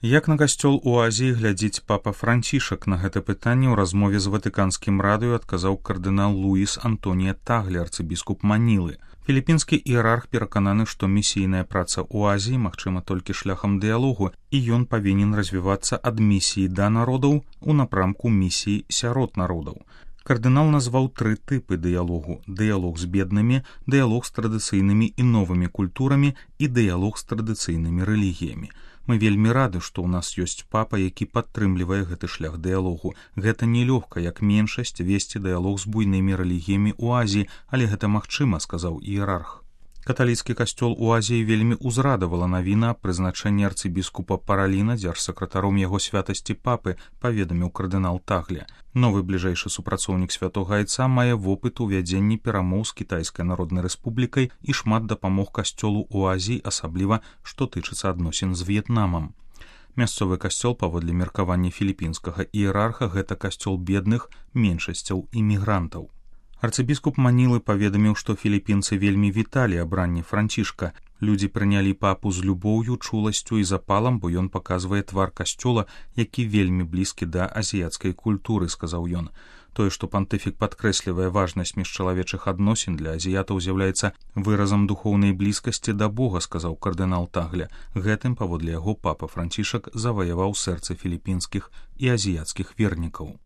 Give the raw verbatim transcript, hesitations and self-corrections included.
Як на касцёл у Азіі глядзіць папа Францішак? На гэта пытанне ў размове з ватыканскім радыё адказаў кардынал Луіс Антонія Тагле, арцыбіскуп Манілы. Філіпінскі іерарх перакананы, што місійная праца ў Азіі магчыма толькі шляхам дыялогу, і ён павінен развівацца ад місіі да народаў у напрамку місіі сярод народаў. Кардынал назваў тры тыпы дыялогу: дыялог з беднымі, дыялог з традыцыйнымі і новымі культурамі і дыялог з традыцыйнымі рэлігіямі. Мы вельмі рады, што ў нас ёсць папа, які падтрымлівае гэты шлях дыялогу. Гэта нелёгка, як меншасць, весці дыялог з буйнымі рэлігіямі ў Азіі, але гэта магчыма, сказаў іерарх. Каталіцкі касцёл у Азіі вельмі ўзрадавала навіна аб прызначэнні арцыбіскупа Параліна дзяржсакратаром яго святасці папы, паведаміў кардынал Тагле. Новы бліжэйшы супрацоўнік святога айца мае вопыт у вядзенні перамоў з Кітайскай Народнай Рэспублікай і шмат дапамог касцёлу ў Азіі, асабліва што тычыцца адносін з В'етнамам. Мясцовы касцёл, паводле меркавання філіпінскага іерарха, гэта касцёл бедных, меншасцяў і мігрантаў. Арцыбіскуп Манілы паведаміў, што філіпінцы вельмі віталі абранне Францішка. Людзі прынялі папу з любоўю, чуласцю і запалам, бо ён паказвае твар касцёла, які вельмі блізкі да азіяцкай культуры, сказаў ён. Тое, што пантыфік падкрэслівае важнасць міжчалавечых адносін для азіятаў, з'яўляецца выразам духоўнай блізкасці да Бога, сказаў кардынал Тагле. Гэтым, паводле яго, папа Францішак заваяваў сэрцы філіпінскіх і азіяцкіх вернікаў.